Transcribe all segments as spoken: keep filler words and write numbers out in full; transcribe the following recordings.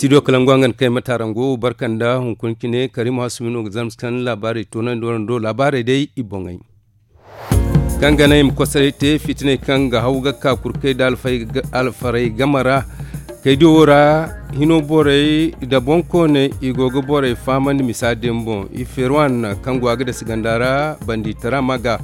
Studio kalangu hangan kay matarango barkanda hunkuna cine karim hasumi no ga zarma si kan laabaarey toonandi warando laabaarey day i boŋey. Kaŋ ga naŋ i ma kosoray te fitiney kaŋ ga haw ga ka kurkey nda alfaray game ra. Kaydiyo wo ra hino borey nda boŋkooney i go ga borey fahamandi misa din boŋ i feerwan kaŋ go a ga dasi ganda ra. Bandiitara ma ga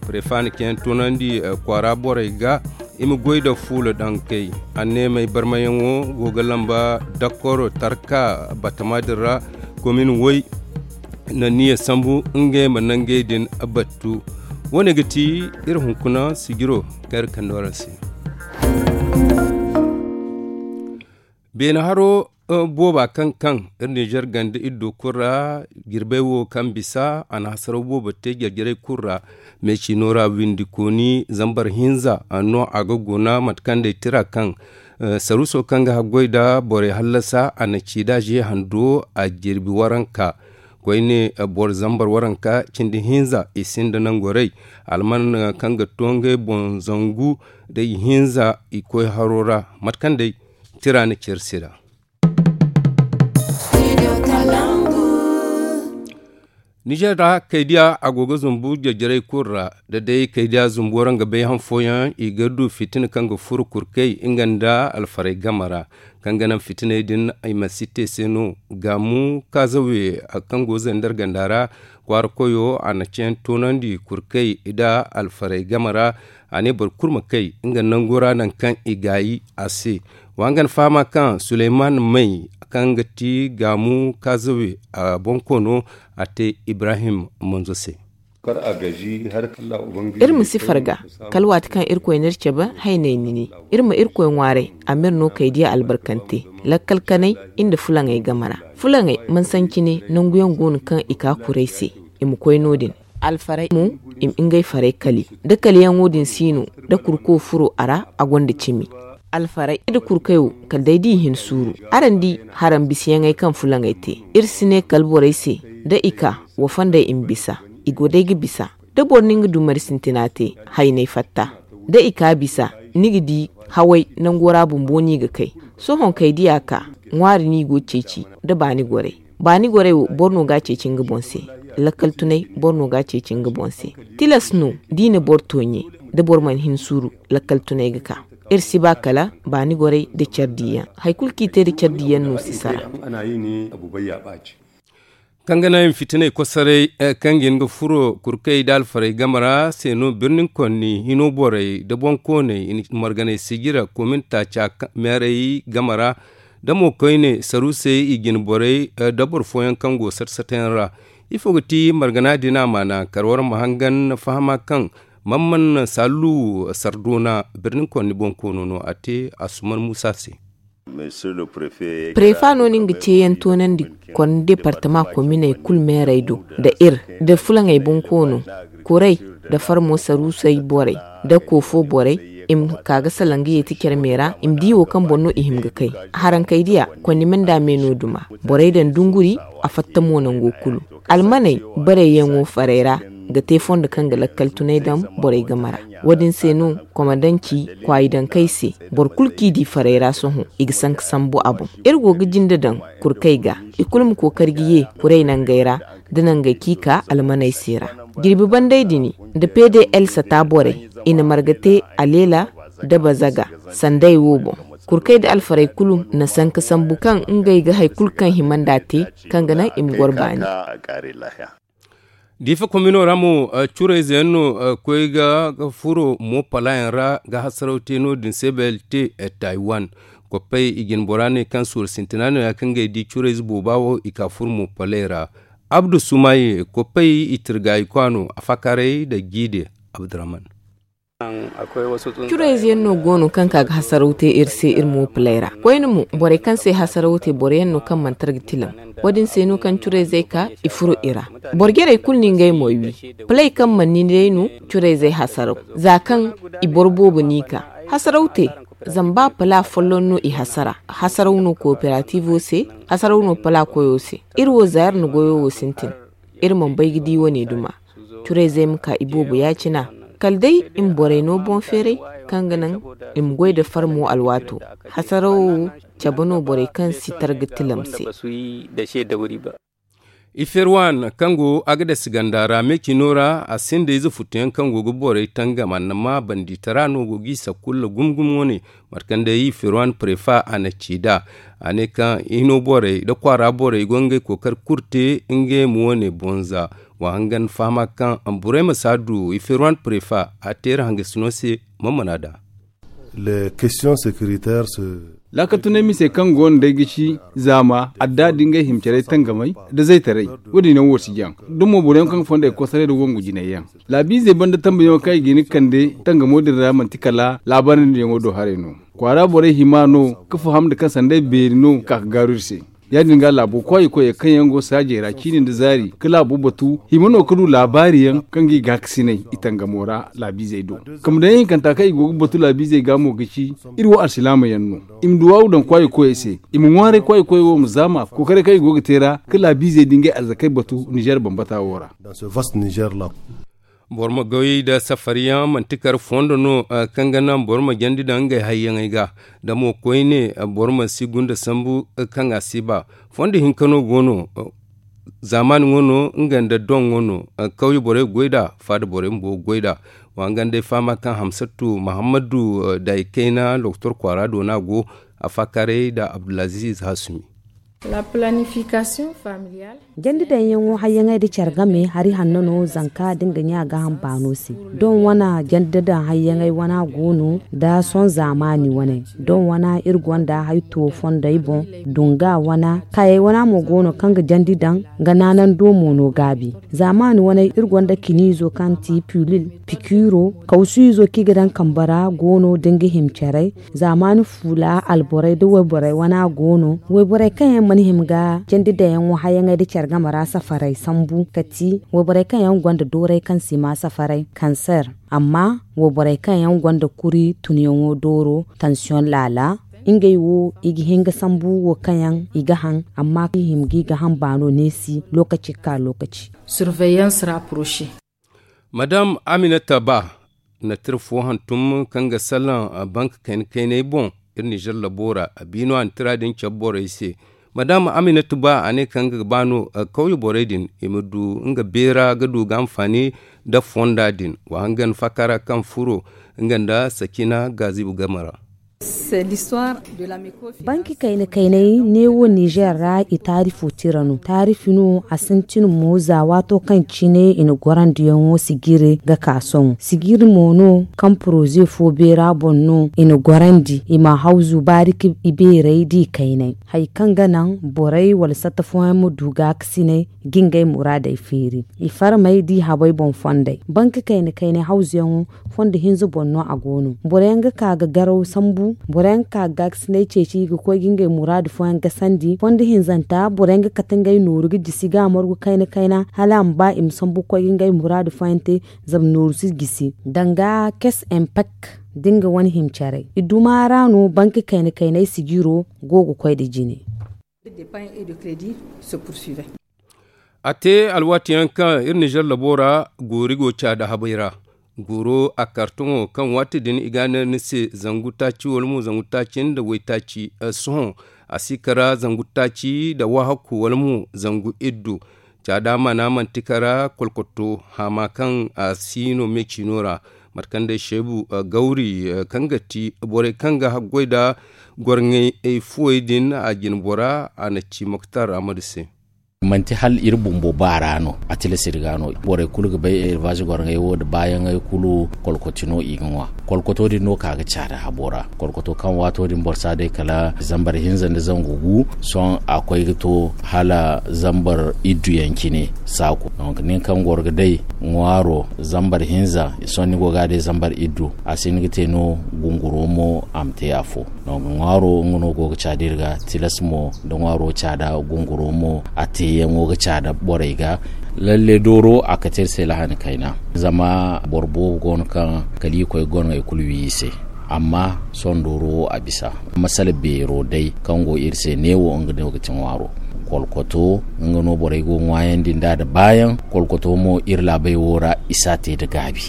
prefa na ceeyaŋ toonandi kwaara borey ga i ma goy nda fuula dankey. Anneemey barmayaŋo go ga lamba dakoro tarka batama din ra. Komin woy na niya sambu ngey ma nangey din battu. Wo- ne ga ti iri hunkuna sijiro kaŋ iri kande waraŋ se. Beene haro booba kaŋ kaŋ iri ninzeer ganda iddo kulu ra. Jirbey wo kaŋ bisa a na hasaraw boobo te jarjarey kulu ra. Meecino ra windi kooni zambar hinza no a ga guna mate kaŋ day tira kaŋ saruuso kaŋ ga haggoy nda borey hallasa a na ci nda ze hando a jirbi waranka. Koyne boro zambar waranka cindi hinza i sinda nangorey alman kaŋ ga to ngey boŋ zangu nda i hinza i koy haro ra. Mate kaŋ day tira na ceeri se ra. Nizeer ra kaydiya a go ga zumbu jarjarey kulu ra. Da day kaydiya zumbu waraŋ ga bay han fooyaŋ i ga du fitina kaŋ ga furo kurkey nga nda alfaray game ra. Kaŋ ga naŋ fitiney din i ma si te se no. Gaamu kaazawe kaŋ go zandar ganda ra kwaara koyo a na ceeyaŋ toonandi kurkey nda alfaray game ra. A ne boro kulu ma kay nga nango ra nangu kaŋ i gaayi a se. Wa nga na fahama kaŋ suleyman may kaŋ ga ti gaamu kaazawe a bonkoono a te ibrahim manzo se. Iri ma si farga kala waati kaŋ irkoy n'iri cabe hayney nini. Iri ma irkoy ŋwaaray a m'iri no kaydiya albarkante lakkal kanay nda fulaŋey game ra. Fulaŋey mana sancine nanguyaŋ go no kaŋ i ka kuray se i ma koy no- din. Alfaray mo i ma ngey faray kali da kaliyaŋo din si no da kurko furo a ra a gonda cimi. Alfaray da kurkey wo kala day da i hin suuru. Araŋ di haraŋ bisayaŋey kaŋ fulaŋey te. Iri si ne kala borey se da i ka wa fonday i ma bisa. I go day ga bisa da boro na nga dumari sintina te haynay fatta. Da i ka bisa ni ga di haway nango ra bumbo no i ga kay. Sohõ kay diya ka ŋwaari no i go ceeci da baani gorey. Baani gorey wo boro no ga a ceeci nga boŋ se. Lakkal tunay boro no ga a ceeci nga boŋ se. Tilas no da i na boro tooɲe da boro mana hin suuru lakkal tunay ga ka. Iri si ba kala baani gorey nda care diiyaŋ hari kulu kaŋ i te nda care diiyaŋ no si sara. Kaŋ ga naŋ i ma fitiney kosoray kaŋ ga hin ga furo kurkey nda alfarey game ra se no birnin konni hino borey nda boŋkooney i na marganey sijira komin taaca meerey game ra. Da mo koyne saruusey i jine borey nda boro fooyaŋ kaŋ go sata sata yaŋ ra. Ifo ga ti margana din a maana kar war ma hangan fahama kaŋ man man sallu sardoona birnin konni boŋkoono no a te asuman muusa se. Prefa no no nga ceeyaŋ toonandi konna departama kominey kulu meerey do nda iri nda fulaŋey bonkoono, kuray nda farmo saruusey borey nda koofo borey i ma ka ga salaŋ ga yeeti care me ra i ma di wo kaŋ boŋ no i hima ga kay. Harankey diya konna me nda me no duma borey daŋ dunguri a fatta mo nango kulu. Almaney barey yaŋo farey ra ga te fondo kaŋ ga lakkal tunay daŋ borey game ra. Wo- din se no komandanci kwaayi dankey se boro kulu kaŋ i di farey ra sohõ i ga sanka sambu a boŋ. Iri go ga jinde daŋ kurkey ga i kulu ma kookari ga ye kuray nangey ra nda nangey kaŋ i ka almaney se ra. Jirbi bandey din nda pdl sata borey i na marga te aleela nda bazaga sandey wo boŋ. Kurkey nda alfarey kulu na sanka sambu kaŋ ngey ga hari kulu kaŋ hima nd'a te kaŋ ga naŋ i ma goro baani. Diifa komino ra mo curayze yaŋ no koy ga furo mo pala yaŋ ra ga hasaraw te no- din se belt taiwan. Koppey i jine bora ne kaŋ suuru sintina no ya kaŋ ga ay di curayze booba wo i ka furo mo paley ra. Abdu sumaye koppey i tirgayi kwaano a fakaray nda jiide. Abdurrahman. Curayze yaŋ no go no kaŋ ka ga hasaraw te iri se iri mo paley ra koyne mo borey kaŋ se hasaraw te boro yaŋ no kaŋ mana tara ga tilam. Wo- din se no kaŋ curayzey ka i furo i ra. Boro jarey kulu no ngey mo i wi. Paley kaŋ mana ni day no curayzey hasaraw za kaŋ i boro boobo no i ka hasaraw te. Zama ba pala folloŋ no i hasara hasaraw no kooperatiivo se. Hasaraw no pala koyo se. Iri wo za iri na goyo wo sintin. Iri mana bay ga di wane duma. Curayzey ma ka i boobo ya- cina kala day i ma borey no boŋ feeray kaŋ ga naŋ i ma goy nda farmo alwaato. Hasarawo wo Cabe no borey kaŋ si targa tilam se. Iferwan kaŋ go agadas ganda ra me cino ra a sinda ize futuyaŋ kaŋ go ga borey tangam a na ma banditara no go g'i sakulla gumo gumo wane. Mate kaŋ day iferwan prefa a na ci nd'a a ne kaŋ hino borey nda kwaara borey go ngey kookari kulu te ngey ma wane bonza. Wa hangan fahama kaŋ burey ma si a du iferwan prefa a teera hangasino se. Mammana da. Laakatunay misey kaŋ go no day ga ci zaama adda da ngey himcarey tangamay nda zaytaray. Wo- din yaŋ wo si jaŋ da mo boro yaŋ kaŋ ga fonday kosaray nda wangu jinay yaŋ laabiizey banda tambayaŋo kaŋ i ga hin ga kande tangamo din ra manti kala laabaari nda yaŋo do haray no. Kwaara borey hima no ga faham nda kaŋ sanday beeri no ga ka ga gaaru iri se. Ya- din ga laabo kwaayi koyey kaŋ yaŋ go saajey ra ciini nda zaari ga laabo batu hima no ga du laabaari yaŋ kaŋ ga i gaakasinay i tangamo ra laabiizey do. Kambe daŋ yaŋ hinkanta kaŋ i go ga batu laabiizey ga mo ga ci iri wo alsilaama yaŋ no. I ma du waawu daŋ kwaayi koyey se i ma ŋwaaray kwaayi koyey wo ma zaama kookaray kaŋ i go ga te ra ga laabiizey da ngey arzakey batu nizeer bambata wo ra. Boro ma goy nda safaryaŋ manti kar fondo no kaŋ ga naŋ boro ma jandi daŋ ngey hayyaŋey ga. Da mo koyne boro ma si gunda sambu kaŋ a si ba. Fondo hinka no go no. Zaamaani ŋwa no nga nda doŋ ŋwa no. Kawye borey ga goy nd'a faada borey bumbo ga goy nd'a. Wa nga nda ay fahama kaŋ hamsatu mahammadu day kayna lokotor kwaara do no a go. A faakaaray nda abdulaziiz hasumi. Jandi daŋyaŋo hayyaŋey nda care game hari hanno no zanka da nga ɲa gaaham baano se. Doŋ wane jandi daŋ hayyaŋey wana go no nda sohõ zaamaani wane. Doŋ wana iri gonda hari to fondey boŋ dunga wana kaayey wana mo go no kaŋ ga jandi daŋ. Nga naanando mo no gaabi zaamaani wane iri gonda kiniizo kaŋ ti pilil, pikiro, kawsu izo kaŋ i ga daŋ kambe ra go no da nga hima care. Zaamaani fuula alborey nda wayborey wana go no. Wayborey kaŋ yaŋ mana hima ga jandi daŋyaŋo hayaŋey nda care game ra safaray sambu ka ti wayborey kaŋ yaŋ gonda dooray kaŋ si ma safaray kanser. Amma wayborey kaŋ yaŋ gonda kuri tunyaŋo dooro tansiyoŋ laala, ngey wo i ga hin ga sambu wo kaŋ yaŋ i ga haŋ. Amma i hima ga i ga haŋ baano neesi lokaci ga ka lokaci. Surveillance rapprochée. Madam aminata ba na tira fo hantum kaŋ ga salaŋ banka kayna kaynay boŋ. Iri nizer labo ra a biino a na tira din cabe borey se. Madam aminata ba a ne kaŋ ga ba no kawye borey din i ma du nga beera ga du ga anfaani nda fonda din wa hangan faakara kaŋ furo nga nda sakina gaazibu game ra. Banki kayna kaynay neewo nizer ra i taarifo tira no taarifi no a sintin mo za waato kaŋ cine i na gorandiyaŋo sijiri ga ka sohõ sijiri mo no kaŋ poroze fo beera boŋ no i na gorandi i ma hawzu baari ka i beerey da i kaynay hari kaŋ ga naŋ borey wala satta fooyaŋ ma du gaakasinay ga ngey muraadey feeri. I farmey da i habey boŋ fondey banki kayna kaynay hawzuyaŋo fondo hinza boŋ no a go no boro yaŋ ga ka ga garaw sambu boro yaŋ ga ka ga gaakasinay ceeci ga koy ga ngey muraadu fooyaŋ gasandi fondo hinzanta boro yaŋ ga kate ngey nooru ga jisi ga a margu kayna kayna hala a ma ba i ma sambu ga koy ga ngey muraadu fooyaŋ te. Zama nooru si jisi danga kes empek da nga wane hima carey i duma ra no banki kayna kaynay sijiro go ga koy nda jine. A te alwaati yaŋ kaŋ iri nizer labo ra goori go caada habay ra. Gooro a kartoŋo kaŋ waati din i ga a neera ni se zangu taaci wala mo zangu taaci nda waytaaci. Sohõ a si kara zangu taaci nda waahakku wala mo zangu iddu. Caada mana manti kara kolkoto haama kaŋ a si no me ciino ra. Mate kaŋ day seebu gawri kaŋ ga ti borey kaŋ ga haggoy nda gorŋey fuwey din a jine bora a na ci moktar amadu se. Manti hala iri bumbo baara no a tilas iri ga no borey kulu ga bay elvaazi gorŋey wo nda baayaŋey kulu kolkoti no i ga ŋwa. Kolkoto din no ka ga caada habo ra kolkoto kaŋ waato din boro si a day kala zambar hinza nda zangu gu. Sohõ a koy ga to hala zambar iddu yaŋ cine. Saaku donk nin kaŋ goro ga day ŋwaaro zambar hinza sohõ ni go ga a day zambar iddu a si hin ga te no. Gunguro mo a ma te afo. Donk ŋwaaro nga no go ga caada iri ga tilas mo da ŋwaaro caada gunguro mo a teeyaŋo ga caada borey ga. Lalle dooro a kate iri se lahani kayna zama boro boobo go no kaŋ kala i koy gorŋey kulu wi i se. Amma sohõ dooro wo a bisa masala beero day kaŋ go iri se neewo nga no ga ti ŋwaaro. Kolkoto nga no borey go ŋwaayandi nd'a nda baayaŋ. Kolkoto mo iri laabey wo ra i si a te nda gaabi.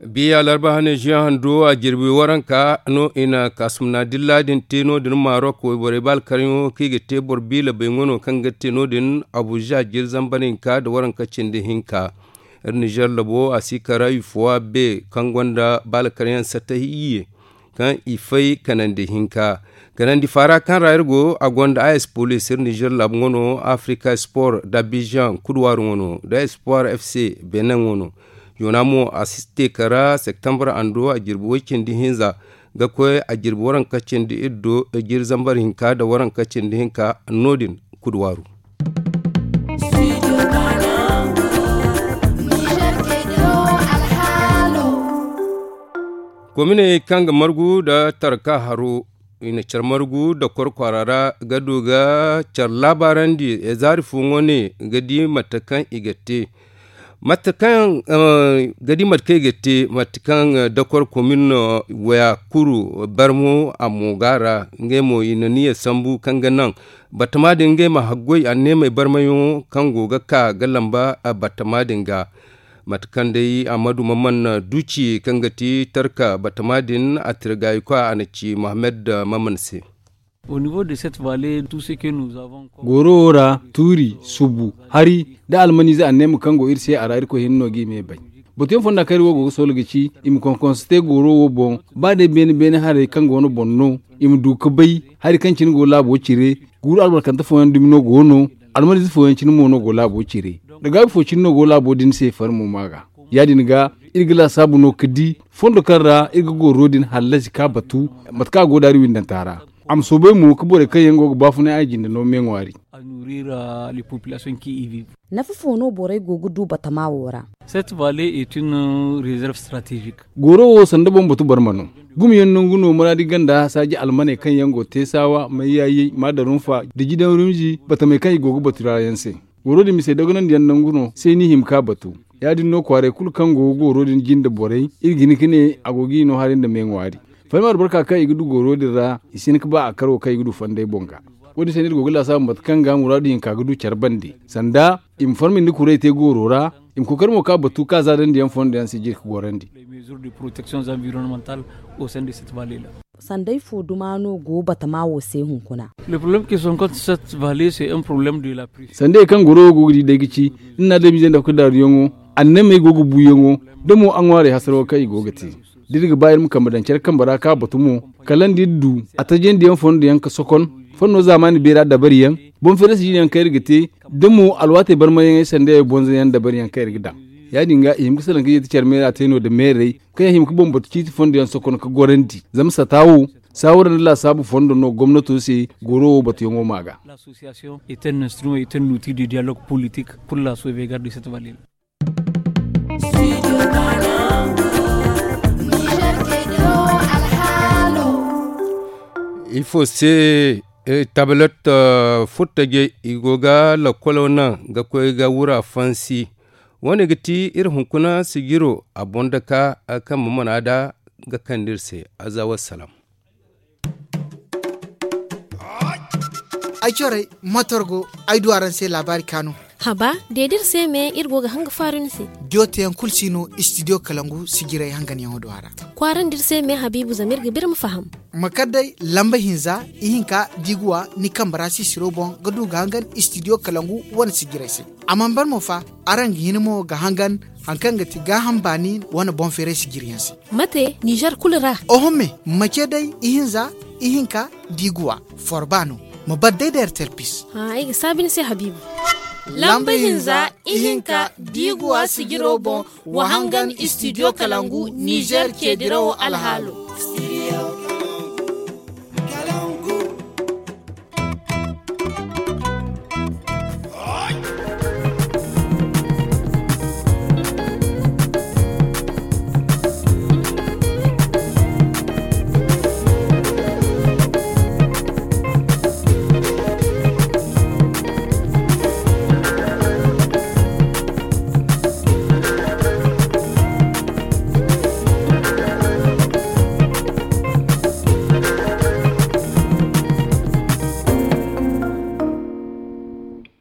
Biya larba hane zuwan hando a jirbi waranka no i na kaasumna dilla din te no- din marok wayborey ba alkaryaŋo kaŋ i ga te boro biila bay ŋwano kaŋ ga te no- din abuza jiri zambar hinka nda waranka cindi hinka. Iri nizer labo a si kara ifowa be kaŋ gonda ba alkaryaŋ satta iyye kaŋ i fay kanandi hinka. Kanandi faara kaŋ ra iri go a gonda a espolis iri nizer labo ŋwano afrika sport dabiziyaŋ kuduwaaru ŋwano da espoir fc benin ŋwano. Yoona mo a si te kara septembre ando a jirbi way cindi hinza ga koy a jirbi waranka cindi iddo jiri zambar hinka nda waranka cindi hinka no- din kuduwaaru. Kominey kaŋ ga margu nda tarka haro i na care margu nda koro kwaara ra ga du ga care laabaarandi zaari fo ŋwa ne ga di mate kaŋ i ga te mate kaŋ ga di mate kaŋ i ga te mate kaŋ dakor komin waya kuru barmo a mo go a ra. Ngey mo i na niya sambu kaŋ ga naŋ batama din ngey ma haggoy anneemey barmayaŋo kaŋ go ga ka ga lamba batama din ga. Mate kaŋ day a ma du ma mana duci kaŋ ga ti tarka batama din a tirgayikwa a na ci mohammed maman se. Gooro wo ra tuuri subu hari da almaniize anneema kaŋ go iri se a ra irkoy hinne no ga i me bay. Batuyaŋ fonda kaŋ iri wo go ga soolo ga ci i ma konkonse te gooro wo boŋ ba day beene beene haray kaŋ go no boŋ no i ma du ga bay hari kaŋ cine go laabo cire. Guuru albarkante fooyaŋ dumi no go no almaniize fooyaŋ cine mo no go laabo cire. Da gaabi fo cine no go laabo din se farmo ma ga ya- din ga iri ga laasaabu no ga di fondo kaŋ ra iri ga gooro din hallasi ka batu mate kaŋ a go daari windanta ra. A ma soobay mo ga borey kaŋ yaŋ go ga baafunay a jinde no me ŋwaari. Nafa fo no borey go ga du batama wo ra? Gooro wo sanda boŋ batu barma no. Gumo yaŋ nangu no muraadi ganda saaji almaney kaŋ yaŋ go teesaawa mayyaayey maadarunfa da jidaŋ rumzi batamey kaŋ i go ga batu ra yaŋ se. Gooro din mise dogonandi yaŋ nangu no se ni hima ka batu. Ya- din no kwaaray kulu kaŋ go ga gooro din jinde borey iri ga hin ga ne a go ga i no hari nda me ŋwaari. Fahim albarka kaŋ i ga du gooro din ra i si hin ga ba a karo kaŋ i ga du fonday boŋ ga. Wo- din se no iri go ga laasaabu mate kaŋ ga muraadu hinka ga du care bande sanda i ma farmindi kuray te gooro ra. I ma kookari mo ka batu ka zaadandiyaŋ fondo yaŋ si jiri ga gorandi. Sanday fo duma no go batama wo se hunkuna? Sanday kaŋ goro wo go ga di day ga ci iri na adamize nda kudaaruyaŋo annamey go ga buuyaŋo da mo a ŋwaarey hasaro kaŋ i go ga te. Da iri ga ba iri ma kambe daŋ care kambe ra ka batu mo kala nda iri du a tajandiyaŋ fondo yaŋ ga sokon fondo zaamaani beera dabariyaŋ boŋ feerasi jine yaŋ kaŋ iri ga te da mo alwaatey barmayaŋey sandeyaŋ boŋ zayaŋ dabariyaŋ kaŋ iri ga daŋ. Ya- din ga i hima ga salaŋ ga yeeti care meera te no nda meerey kaŋ yaŋ hima ga bambatu ciiti fondo yaŋ sokon ga gorandi zama sata wo saawara nda laasaabu fondo no gomnato se goro wo batuyaŋo ma ga. Ifo se tabalet furtajey i go ga lakkolo naŋ ga koy ga wura fansi. Wo- ne ga ti iri hunkuna sijiro a boŋ daka kaŋ ma mana da ga kande iri se. Aza wassalam. Ay corey matorgo ay du araŋ se laabaari kaanu. Haba deedi iri se me iri go ga hanga faaru ni se. Diyo teyaŋ kulu si no istidiyo kalangu sijiray hanganyaŋo do a ra. Kwaarandi iri se me habiibu zama iri ga biri ma faham. Ma kar day lamba hinza ihinka diiguwa ni kambe ra sisiro boŋ ga du ga hangan istidiyo kalangu wane sijiray se. A mana bar mo fa araŋ ga hin mo ga hangan hari kaŋ ga ti gaaham baani wane boŋ feeray sijiryaŋ se. Mate nizer kulu ra. Oho me ma ce day ihinza ihinka diiguwa forba no. Ma bar day da ertel pis. Ay ga saabi ni se habiibu. Lamba hinza ihinka diiguwa sijiro boŋ wa hangan istidiyo kalangu nizer ceedirawo alhaalo.